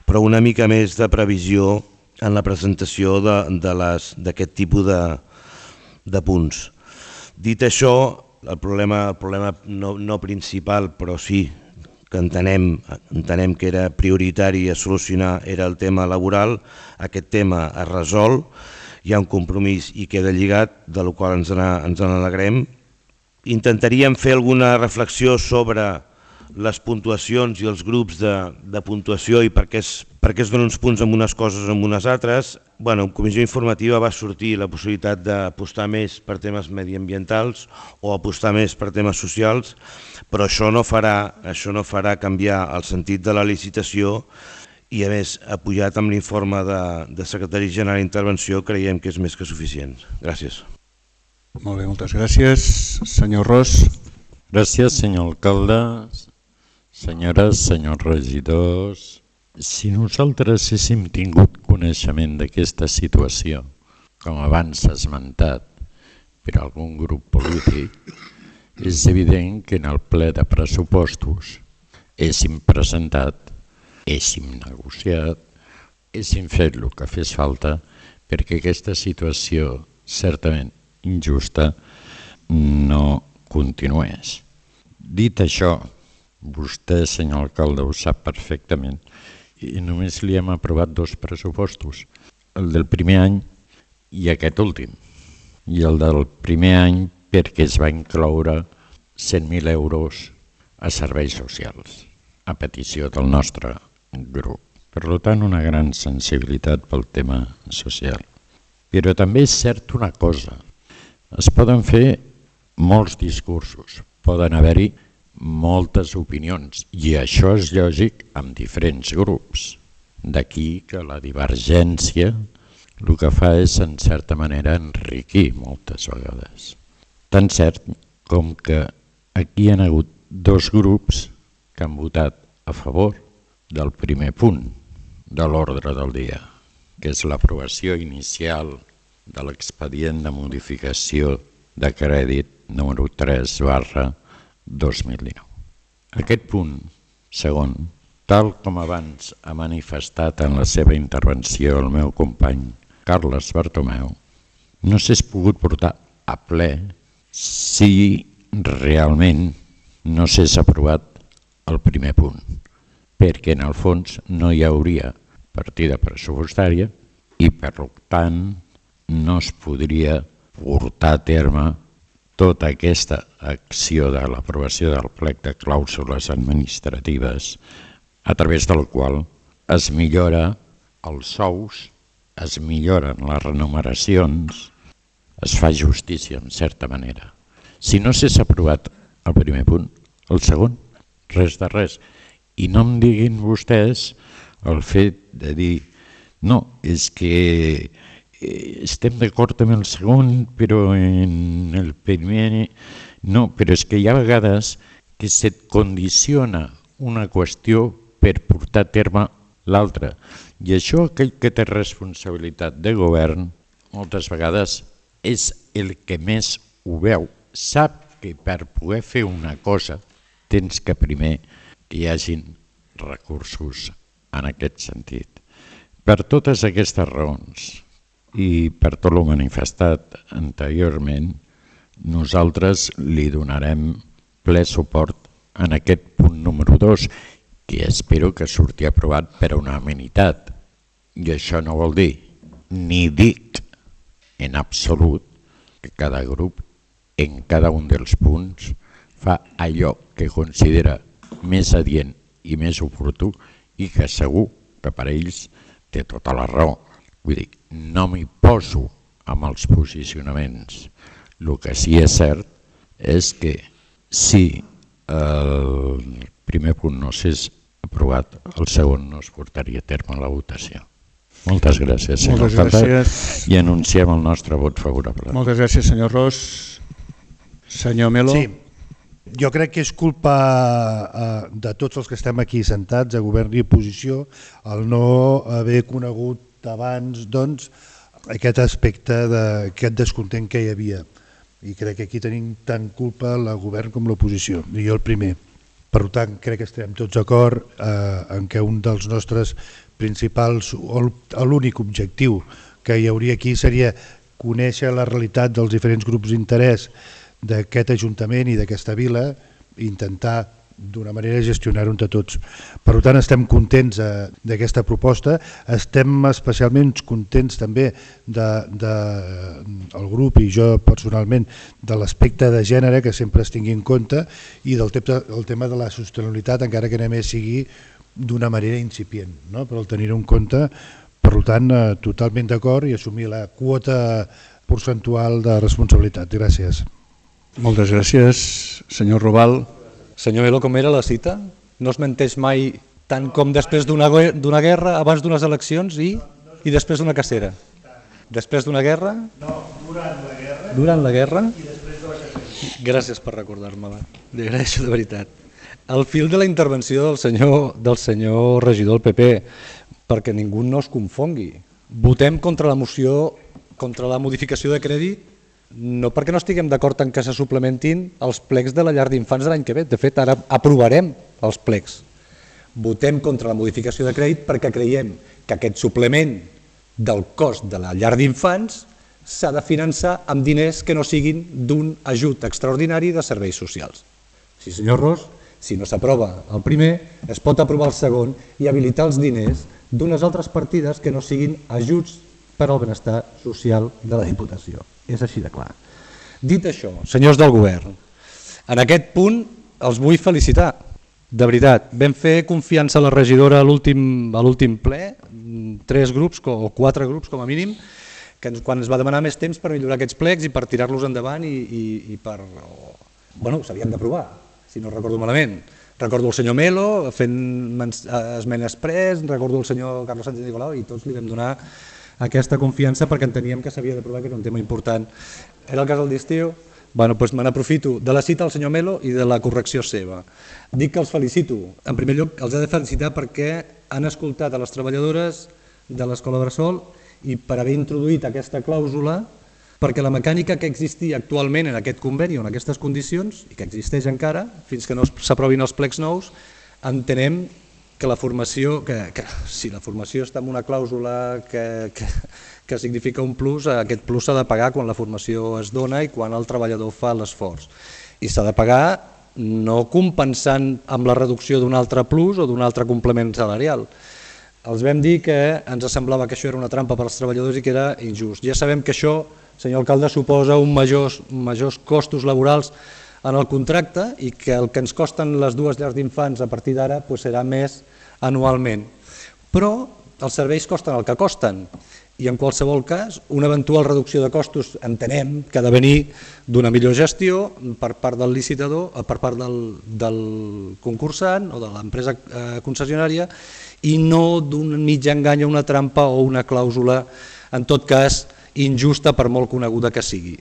però una mica més de previsió en la presentació d'aquest tipus de punts. Dit això, el problema no principal, però sí que entenem que era prioritari a solucionar, era el tema laboral. Aquest tema es resol, hi ha un compromís i queda lligat, de la qual ens n'alegrem. Intentaríem fer alguna reflexió sobre les puntuacions i els grups de puntuació i per què es donen uns punts amb unes coses o amb unes altres. En comissió informativa va sortir la possibilitat d'apostar més per temes mediambientals o apostar més per temes socials, però això no farà canviar el sentit de la licitació, i a més, apoyat amb l'informe de secretari general d'intervenció, creiem que és més que suficient. Gràcies. Molt bé, moltes gràcies. Senyor Ros. Gràcies, senyor alcalde, senyores, senyors regidors. Si nosaltres haguéssim tingut coneixement d'aquesta situació, com abans s'ha esmentat per algun grup polític, és evident que en el ple de pressupostos haguéssim presentat, haguéssim negociat, haguéssim fet el que fes falta perquè aquesta situació certament injusta no continués. Dit això, vostè, senyor alcalde, ho sap perfectament, i només li hem aprovat 2 pressupostos, el del primer any i aquest últim. I el del primer any perquè es va incloure 100.000 euros a serveis socials, a petició del nostre grup. Per tant, una gran sensibilitat pel tema social. Però també és cert una cosa, es poden fer molts discursos, poden haver-hi moltes opinions, i això és lògic amb diferents grups. D'aquí que la divergència el que fa és, en certa manera, enriquir moltes vegades. Tan cert com que aquí hi ha hagut 2 grups que han votat a favor del primer punt, de l'ordre del dia, que és l'aprovació inicial de l'expedient de modificació de crèdit número 3/2019. Aquest punt segon, tal com abans ha manifestat en la seva intervenció el meu company Carles Bartomeu, no s'és pogut portar a ple si realment no s'és aprovat el primer punt, perquè en el fons no hi hauria partida pressupostària i per tant no es podria portar a terme tota aquesta acció de l'aprovació del plec de clàusules administratives a través del qual es millora els sous, es milloren les remuneracions, es fa justícia en certa manera. Si no s'és aprovat el primer punt, el segon, res de res. I no em diguin vostès el fet de dir no, és que estem d'acord amb el segon, però en el primer no, però és que hi ha vegades que se't condiciona una qüestió per portar a terme l'altra. I això, aquell que té responsabilitat de govern, moltes vegades és el que més ho veu. Sap que per poder fer una cosa tens que primer que hi hagin recursos en aquest sentit. Per totes aquestes raons i per tot el manifestat anteriorment, nosaltres li donarem ple suport en aquest punt número 2, que espero que surti aprovat per unanimitat. I això no vol dir, ni dic en absolut, que cada grup en cada un dels punts fa allò que considera més adient i més oportú i que segur que per ells té tota la raó. Vull dir, no m'hi poso amb els posicionaments. El que sí és cert és que si el primer punt no s'és aprovat, el segon no es portaria a terme la votació. Moltes gràcies, senyor alcalde, i anunciem el nostre vot favorable. Moltes gràcies, senyor Ros. Senyor Melo. Sí, jo crec que és culpa de tots els que estem aquí sentats, a govern i oposició, el no haver conegut abans doncs, aquest aspecte d'aquest descontent que hi havia. I crec que aquí tenim tant culpa el govern com l'oposició, i jo el primer. Per tant, crec que estem tots d'acord en que un dels nostres principals, o l'únic objectiu que hi hauria aquí seria conèixer la realitat dels diferents grups d'interès d'aquest Ajuntament i d'aquesta vila i intentar d'una manera gestionar-ho entre tots. Per tant, estem contents d'aquesta proposta, estem especialment contents també del grup i jo personalment de l'aspecte de gènere que sempre es tingui en compte i del tema de la sostenibilitat, encara que només sigui d'una manera incipient, no? Però el tenir-ho en compte, per tant, totalment d'acord i assumir la quota percentual de responsabilitat. Gràcies. Moltes gràcies, senyor Robal. Senyor Melo, com era la cita? No es menteix mai tant com després d'una guerra, abans d'unes eleccions i després d'una cacera. Després d'una guerra? No, durant la guerra. Durant la guerra? I després de la cacera. Gràcies per recordar-me-la. Li agraeixo de veritat. El fil de la intervenció del senyor regidor del PP, perquè ningú no es confongui. Votem contra la moció, contra la modificació de crèdit, no perquè no estiguem d'acord en que se suplementin els plecs de la llar d'infants de l'any que ve. De fet, ara aprovarem els plecs. Votem contra la modificació de crèdit perquè creiem que aquest suplement del cost de la llar d'infants s'ha de finançar amb diners que no siguin d'un ajut extraordinari de serveis socials. Sí, senyor Ros, si no s'aprova el primer, es pot aprovar el segon i habilitar els diners d'unes altres partides que no siguin ajuts per al benestar social de la Diputació. És així de clar. Dit això, senyors del govern, en aquest punt els vull felicitar. De veritat, vam fer confiança a la regidora a l'últim ple, 3 grups o 4 grups com a mínim, que quan es va demanar més temps per millorar aquests plecs i per tirar-los endavant i per... Bueno, s'havien d'aprovar, si no recordo malament. Recordo el senyor Melo fent esmenes pres, recordo el senyor Carlos Sánchez Nicolau i tots li vam donar aquesta confiança perquè enteníem que s'havia d'aprovar, que era un tema important. Era el cas del d'estiu, Doncs me n'aprofito de la cita del senyor Melo i de la correcció seva. Dic que els felicito. En primer lloc, els he de felicitar perquè han escoltat a les treballadores de l'Escola Bressol i per haver introduït aquesta clàusula, perquè la mecànica que existia actualment en aquest conveni o en aquestes condicions, i que existeix encara, fins que no s'aprovin els plecs nous, entenem que la formació, si la formació està en una clàusula que significa un plus, aquest plus s'ha de pagar quan la formació es dona i quan el treballador fa l'esforç. I s'ha de pagar no compensant amb la reducció d'un altre plus o d'un altre complement salarial. Els vam dir que ens semblava que això era una trampa per als treballadors i que era injust. Ja sabem que això, senyor alcalde, suposa majors costos laborals en el contracte i que el que ens costen les dues llars d'infants a partir d'ara serà més anualment. Però els serveis costen el que costen i en qualsevol cas una eventual reducció de costos entenem que ha de venir d'una millor gestió per part del licitador, per part del concursant o de l'empresa concessionària i no d'un mig engany o una trampa o una clàusula, en tot cas injusta per molt coneguda que sigui.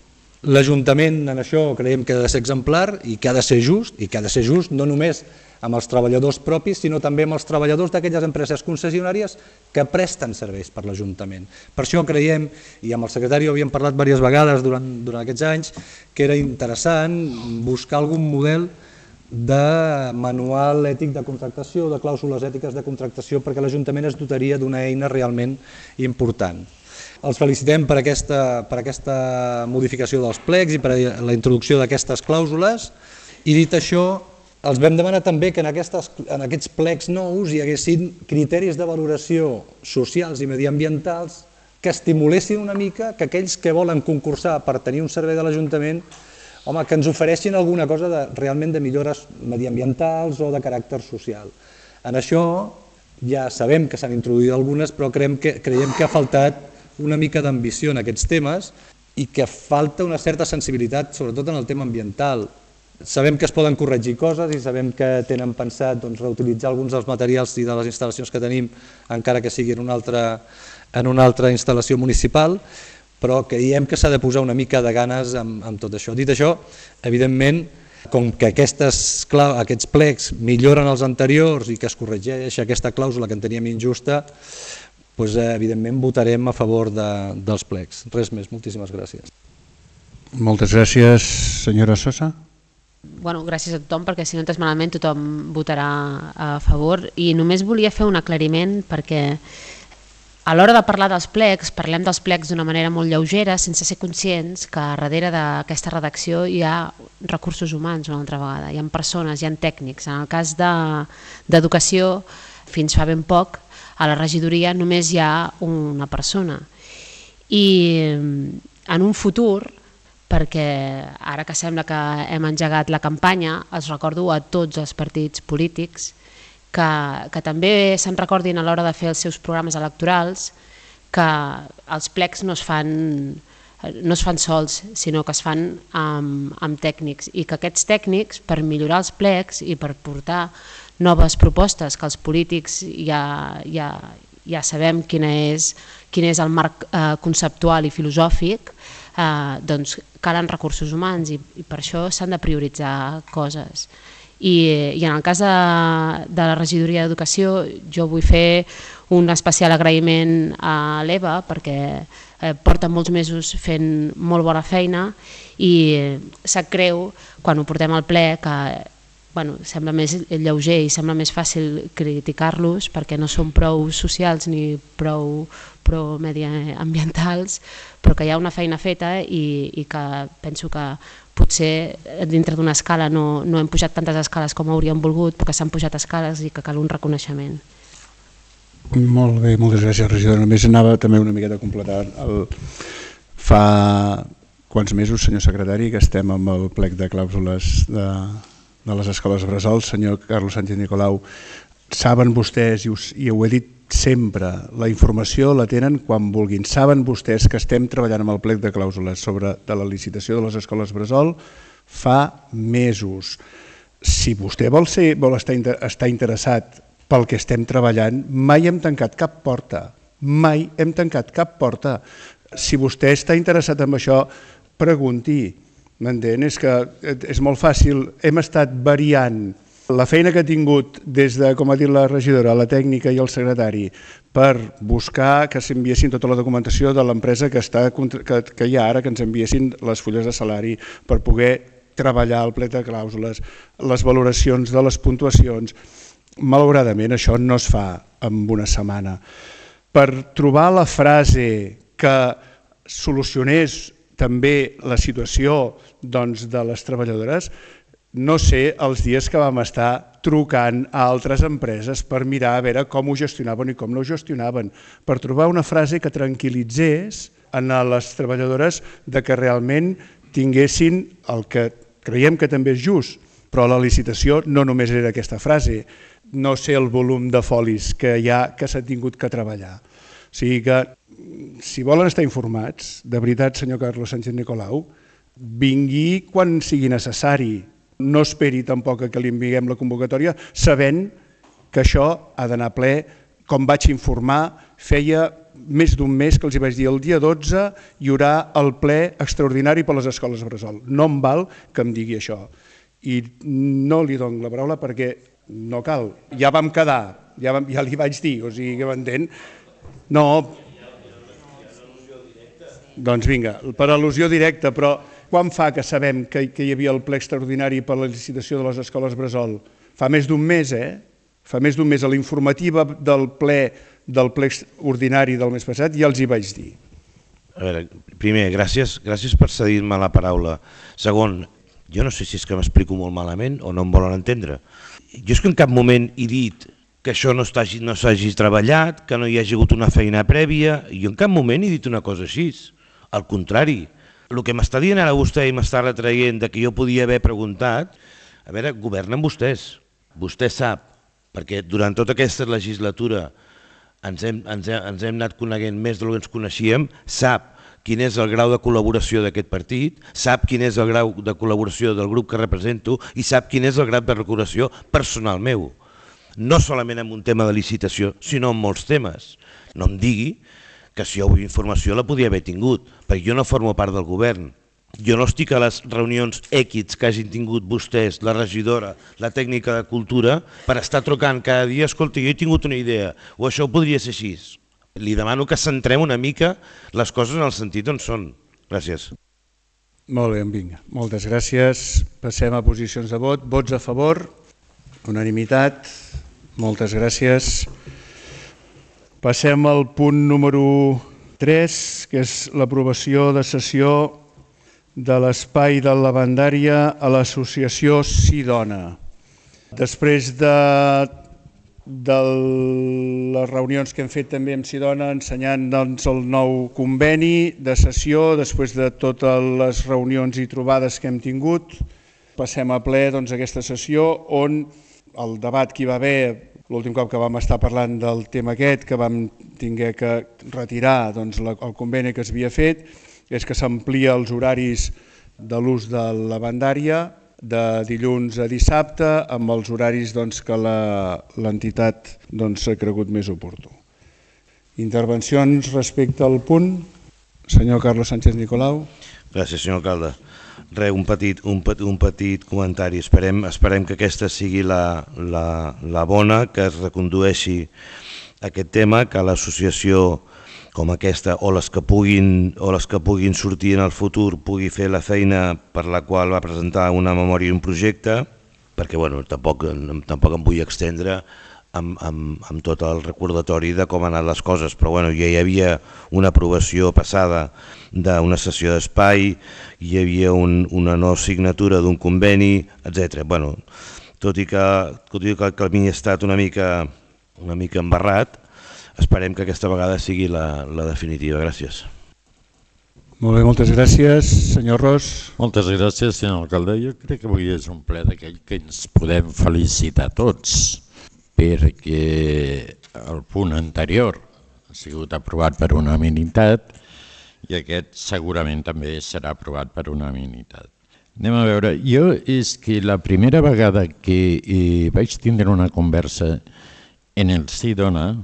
L'Ajuntament en això creiem que ha de ser exemplar i que ha de ser just, no només amb els treballadors propis, sinó també amb els treballadors d'aquelles empreses concessionàries que presten serveis per l'Ajuntament. Per això creiem, i amb el secretari havíem parlat diverses vegades durant aquests anys, que era interessant buscar algun model de manual ètic de contractació, de clàusules ètiques de contractació, perquè l'Ajuntament es dotaria d'una eina realment important. Els felicitem per aquesta modificació dels plecs i per la introducció d'aquestes clàusules i dit això, els vam demanar també que en aquests plecs nous hi haguessin criteris de valoració socials i mediambientals que estimulessin una mica que aquells que volen concursar per tenir un servei de l'Ajuntament que ens ofereixin alguna cosa realment de millores mediambientals o de caràcter social. En això ja sabem que s'han introduït algunes, però creiem que ha faltat una mica d'ambició en aquests temes i que falta una certa sensibilitat, sobretot en el tema ambiental. Sabem que es poden corregir coses i sabem que tenen pensat reutilitzar alguns dels materials i de les instal·lacions que tenim, encara que sigui en una altra instal·lació municipal, però creiem que s'ha de posar una mica de ganes amb tot això. Dit això, evidentment, com que aquests plecs milloren els anteriors i que es corregeix aquesta clàusula que en teníem injusta, evidentment votarem a favor dels plecs. Res més, moltíssimes gràcies. Moltes gràcies, senyora Sosa. Gràcies a tothom, perquè si no entès malament tothom votarà a favor. I només volia fer un aclariment perquè a l'hora de parlar dels plecs, parlem dels plecs d'una manera molt lleugera, sense ser conscients que darrere d'aquesta redacció hi ha recursos humans una altra vegada, hi ha persones, hi ha tècnics. En el cas d'educació, fins fa ben poc, a la regidoria només hi ha una persona. I en un futur, perquè ara que sembla que hem engegat la campanya, els recordo a tots els partits polítics que també se'n recordin a l'hora de fer els seus programes electorals que els plecs no es fan sols, sinó que es fan amb tècnics i que aquests tècnics, per millorar els plecs i per portar noves propostes que els polítics ja sabem quin és el marc conceptual i filosòfic, doncs calen recursos humans i per això s'han de prioritzar coses. I en el cas de la regidoria d'Educació jo vull fer un especial agraïment a l'Eva perquè porta molts mesos fent molt bona feina i sap greu quan ho portem al ple que sembla més lleuger i sembla més fàcil criticar-los perquè no són prou socials ni prou mediambientals, però que hi ha una feina feta i que penso que potser dintre d'una escala no hem pujat tantes escales com hauríem volgut, però que s'han pujat escales i que cal un reconeixement. Molt bé, moltes gràcies, regidora. Només anava també una miqueta a completar. Fa quants mesos, senyor secretari, que estem amb el plec de clàusules de les escoles bressol. Senyor Carlos Sánchez Nicolau, saben vostès, i ho he dit sempre, la informació la tenen quan vulguin. Saben vostès que estem treballant amb el plec de clàusules de la licitació de les escoles bressol fa mesos. Si vostè vol estar interessat pel que estem treballant, mai hem tancat cap porta. Mai hem tancat cap porta. Si vostè està interessat en això, pregunti. M'entén? És que és molt fàcil. Hem estat variant la feina que ha tingut des de, com ha dit la regidora, la tècnica i el secretari, per buscar que s'enviessin tota la documentació de l'empresa que hi ha ara, que ens enviessin les fulles de salari, per poder treballar el plec de clàusules, les valoracions de les puntuacions. Malauradament això no es fa en una setmana. Per trobar la frase que solucionés també la situació de les treballadores, no sé els dies que vam estar trucant a altres empreses per mirar a veure com ho gestionaven i com no ho gestionaven, per trobar una frase que tranquil·litzés a les treballadores de que realment tinguessin el que creiem que també és just, però la licitació no només era aquesta frase, no sé el volum de folis que hi ha que s'ha tingut que treballar. O sigui que, si volen estar informats, de veritat, senyor Carlos Sánchez Nicolau, vingui quan sigui necessari. No esperi tampoc que li enviem la convocatòria, sabent que això ha d'anar ple. Com vaig informar, feia més d'un mes que els vaig dir el dia 12 hi haurà el ple extraordinari per les escoles bressol. No em val que em digui això. I no li dono la paraula perquè no cal. Ja vam quedar, ja li vaig dir, o sigui que m'entén. No, doncs vinga, per al·lusió directa, però quan fa que sabem que hi havia el ple extraordinari per la licitació de les escoles bressol? Fa més d'un mes, Fa més d'un mes. A la informativa del ple ordinari del mes passat ja els hi vaig dir. A veure, primer, gràcies per cedir-me la paraula. Segon, jo no sé si és que m'explico molt malament o no em volen entendre. Jo és que en cap moment he dit que això no s'hagi treballat, que no hi hagi hagut una feina prèvia, i jo en cap moment he dit una cosa així. Al contrari, el que m'està dient ara vostè i m'està retraient que jo podia haver preguntat, a veure, governen vostès, vostè sap, perquè durant tota aquesta legislatura ens hem anat coneguent més del que ens coneixíem, sap quin és el grau de col·laboració d'aquest partit, sap quin és el grau de col·laboració del grup que represento i sap quin és el grau de col·laboració personal meu. No solament en un tema de licitació, sinó en molts temes. No em digui que si jo vull informació la podia haver tingut, perquè jo no formo part del govern. Jo no estic a les reunions èquits que hagin tingut vostès, la regidora, la tècnica de cultura, per estar trucant cada dia, escolta, jo he tingut una idea, o això podria ser així. Li demano que centrem una mica les coses en el sentit on són. Gràcies. Molt bé, vinga. Moltes gràcies. Passem a posicions de vot. Vots a favor, unanimitat. Moltes gràcies. Passem al punt número 3, que és l'aprovació de sessió de l'espai de lavandària a l'associació Sidona. Després de les reunions que hem fet també amb Sidona, ensenyant el nou conveni de sessió, després de totes les reunions i trobades que hem tingut, passem a ple aquesta sessió on el debat que hi va haver l'últim cop que vam estar parlant del tema aquest, que vam haver que retirar el conveni que s'havia fet, és que s'amplia els horaris de l'ús de lavandària de dilluns a dissabte amb els horaris que l'entitat ha cregut més oportú. Intervencions respecte al punt. Senyor Carlos Sánchez Nicolau. Gràcies, senyor alcalde. Un petit comentari. Esperem que aquesta sigui la bona, que es recondueixi aquest tema, que l'associació com aquesta o les que puguin sortir en el futur pugui fer la feina per la qual va presentar una memòria i un projecte, perquè tampoc em vull extendre amb tot el recordatori de com han anat les coses, però ja hi havia una aprovació passada d'una sessió d'espai, hi havia una no signatura d'un conveni, etc. Tot i que el camí ha estat una mica embarrat, esperem que aquesta vegada sigui la definitiva. Gràcies. Molt bé, moltes gràcies. Senyor Ros. Moltes gràcies, senyor alcalde. Jo crec que avui és un ple d'aquell que ens podem felicitar tots, perquè el punt anterior ha sigut aprovat per unanimitat i aquest segurament també serà aprovat per unanimitat. Anem a veure, jo és que la primera vegada que vaig tindre una conversa en el Sidona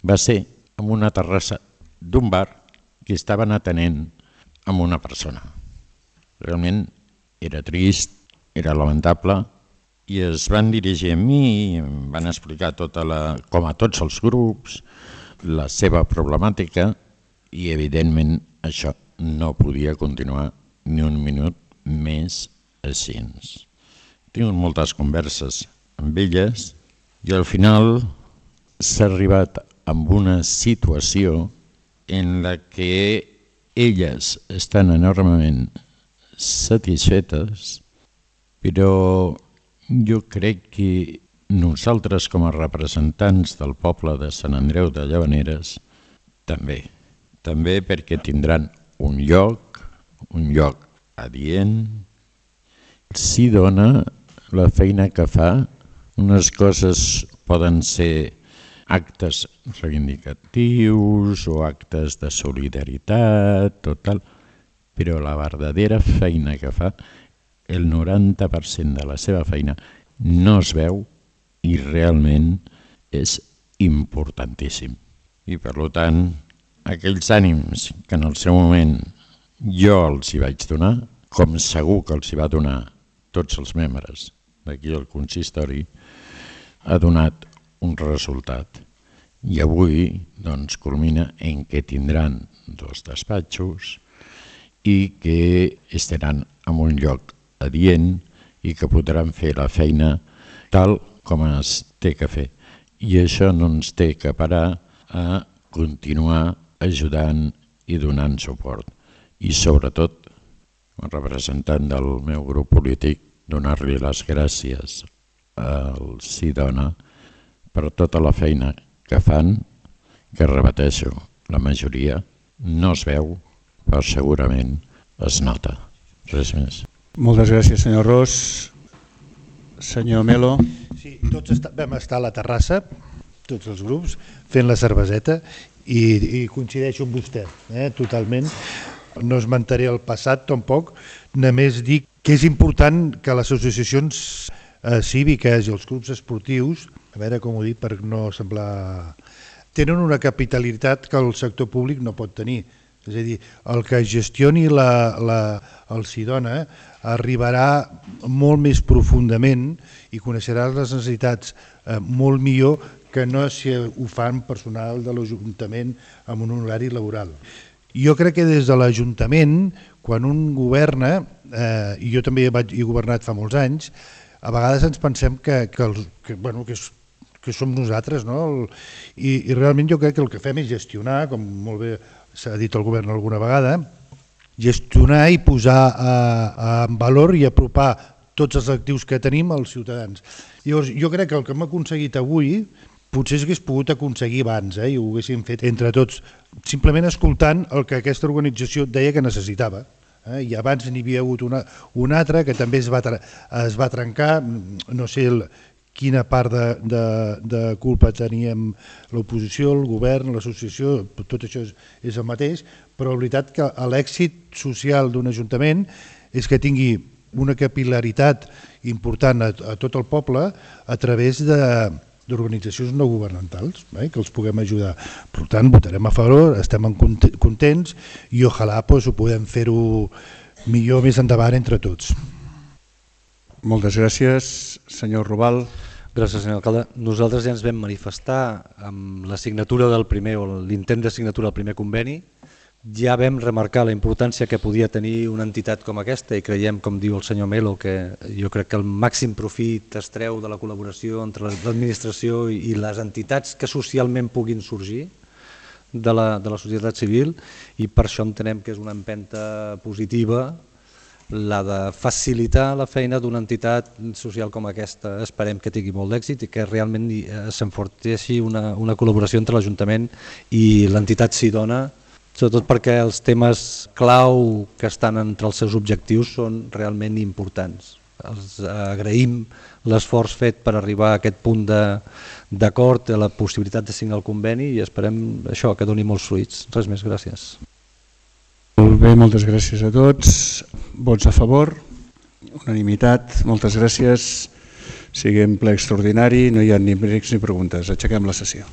va ser en una terrassa d'un bar que estaven atenent amb una persona. Realment era trist, era lamentable, i es van dirigir a mi, em van explicar com a tots els grups, la seva problemàtica, i evidentment això no podia continuar ni un minut més així. He tingut moltes converses amb elles i al final s'ha arribat a una situació en la que elles estan enormement satisfetes, però jo crec que nosaltres com a representants del poble de Sant Andreu de Llavaneres també perquè tindran un lloc adient. Si dona la feina que fa, unes coses poden ser actes reivindicatius o actes de solidaritat o tal, però la verdadera feina que fa, el 90% de la seva feina no es veu i realment és importantíssim. I per tant, aquells ànims que en el seu moment jo els hi vaig donar, com segur que els hi va donar tots els membres d'aquí al consistori, ha donat un resultat. I avui doncs, culmina en què tindran 2 despatxos i que estaran en un lloc adient i que podran fer la feina tal com es té que fer. I això no ens té que parar a continuar ajudant i donant suport. I sobretot, com a representant del meu grup polític, donar-li les gràcies al Sidona per tota la feina que fan, que repeteixo, la majoria no es veu, però segurament es nota. Res més. Moltes gràcies, senyor Ros. Senyor Melo. Sí, tots vam estar a la terrassa, tots els grups, fent la cerveseta i coincideixo amb vostè, totalment. No esmentaré el passat tampoc, només dic que és important que les associacions cíviques i els clubs esportius, a veure com ho dic per no semblar, tenen una capitalitat que el sector públic no pot tenir. És a dir, el que gestioni el Sidona arribarà molt més profundament i coneixerà les necessitats molt millor que no si ho fan personal de l'Ajuntament amb un horari laboral. Jo crec que des de l'Ajuntament, quan un governa, i jo també he governat fa molts anys, a vegades ens pensem que som nosaltres, no? I realment jo crec que el que fem és gestionar, com molt bé s'ha dit el govern alguna vegada, gestionar i posar en valor i apropar tots els actius que tenim als ciutadans. Llavors, jo crec que el que hem aconseguit avui potser s'hagués pogut aconseguir abans i ho haguéssim fet entre tots, simplement escoltant el que aquesta organització deia que necessitava. I abans n'hi havia hagut una altra que també es va trencar, no sé quina part de culpa teníem l'oposició, el govern, l'associació, tot això és el mateix, però la veritat que l'èxit social d'un ajuntament és que tingui una capil·laritat important a tot el poble a través d'organitzacions no governamentals, que els puguem ajudar. Per tant, votarem a favor, estem contents i ojalà ho podem fer-ho millor més endavant entre tots. Moltes gràcies, senyor Rubal. Gràcies, senyor alcalde. Nosaltres ja ens vam manifestar amb la signatura del primer o l'intent de signatura del primer conveni. Ja vam remarcar la importància que podia tenir una entitat com aquesta i creiem, com diu el senyor Melo, que jo crec que el màxim profit es treu de la col·laboració entre l'administració i les entitats que socialment puguin sorgir de la societat civil i per això entenem que és una empenta positiva la de facilitar la feina d'una entitat social com aquesta. Esperem que tingui molt d'èxit i que realment s'enforteixi una col·laboració entre l'Ajuntament i l'entitat Sidona, sobretot perquè els temes clau que estan entre els seus objectius són realment importants. Els agraïm l'esforç fet per arribar a aquest punt d'acord, a la possibilitat de signar el conveni i esperem això que doni molts fruits. Res més, gràcies. Molt bé, moltes gràcies a tots. Vots a favor, unanimitat, moltes gràcies. Siguem ple extraordinari, no hi ha ni brecs ni preguntes. Aixequem la sessió.